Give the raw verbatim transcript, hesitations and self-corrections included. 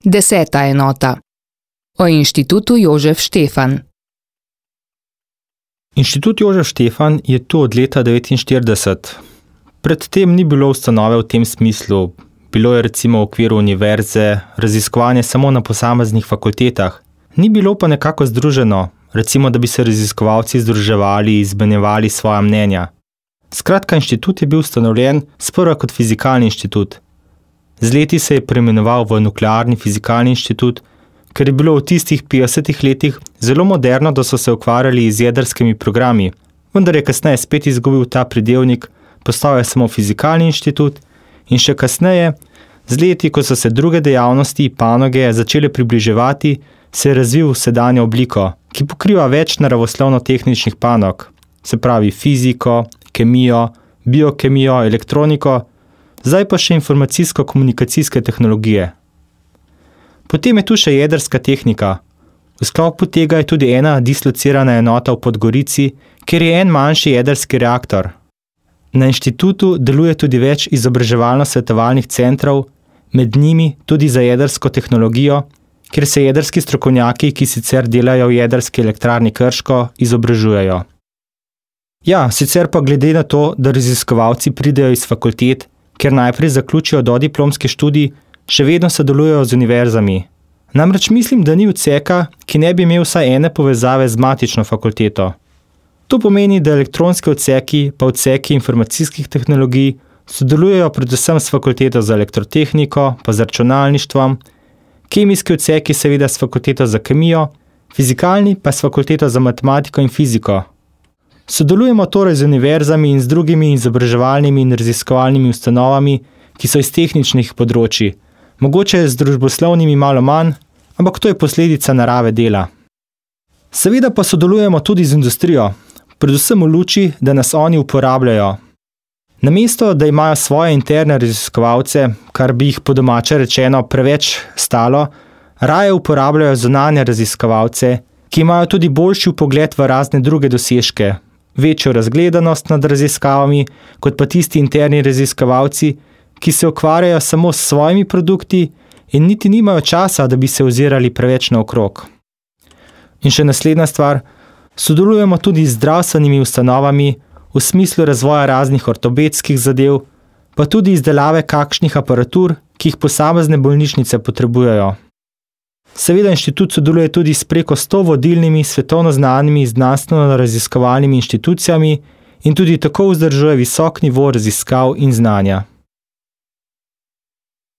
Deseta enota. O Inštitutu Jožef Štefan. Inštitut Jožef Štefan je tu od leta devetinštirideset. Predtem ni bilo ustanove v tem smislu. Bilo je recimo v okviru univerze raziskovanje samo na posameznih fakultetah. Ni bilo pa nekako združeno, recimo da bi se raziskovalci združevali, izmenjevali svoja mnenja. Skratka, inštitut je bil ustanovljen sprva kot fizikalni inštitut. Z leti se je preimenoval v Nuklearni fizikalni inštitut, ker je bilo v tistih petdesetih letih zelo moderno, da so se ukvarjali z jedrskimi programi, vendar je kasneje spet izgubil ta pridevnik, postal je samo fizikalni inštitut in še kasneje, z leti, ko so se druge dejavnosti, panoge začele približevati, se je razvil sedanjo obliko, ki pokriva več naravoslovno-tehničnih panog, se pravi fiziko, kemijo, biokemijo, elektroniko, zdaj pa še informacijsko-komunikacijske tehnologije. Potem je tu še jedrska tehnika. V sklopu tega je tudi ena dislocirana enota v Podgorici, kjer je en manjši jedrski reaktor. Na inštitutu deluje tudi več izobraževalno-svetovalnih centrov, med njimi tudi za jedrsko tehnologijo, kjer se jedrski strokovnjaki, ki sicer delajo v jedrski elektrarni Krško, izobražujejo. Ja, sicer pa glede na to, da raziskovalci pridejo iz fakultet, ker najprej zaključijo dodiplomski študij, še vedno sodelujejo z univerzami. Namreč mislim, da ni odseka, ki ne bi imel vsaj ene povezave z matično fakulteto. To pomeni, da elektronski odseki pa odseki informacijskih tehnologij sodelujejo predvsem s fakulteto za elektrotehniko, pa z računalništvom, kemijski odseki seveda s fakulteto za kemijo, fizikalni pa s fakulteto za matematiko in fiziko. Sodelujemo torej z univerzami in z drugimi izobraževalnimi in raziskovalnimi ustanovami, ki so iz tehničnih področij, mogoče z družboslovnimi malo manj, ampak to je posledica narave dela. Seveda pa sodelujemo tudi z industrijo, predvsem v luči, da nas oni uporabljajo. Namesto, da imajo svoje interne raziskovalce, kar bi jih po domače rečeno preveč stalo, raje uporabljajo zunanje raziskovalce, ki imajo tudi boljši vpogled v razne druge dosežke, večjo razgledanost nad raziskavami, kot pa tisti interni raziskovalci, ki se ukvarjajo samo s svojimi produkti in niti nimajo časa, da bi se ozirali preveč naokrog. In še naslednja stvar, sodelujemo tudi z zdravstvenimi ustanovami v smislu razvoja raznih ortopedskih zadev, pa tudi izdelave kakšnih aparatur, ki jih posamezne bolnišnice potrebujejo. Seveda inštitut sodeluje tudi s preko sto vodilnimi svetovno znanimi znanstveno-raziskovalnimi inštitucijami in tudi tako vzdržuje visok nivo raziskav in znanja.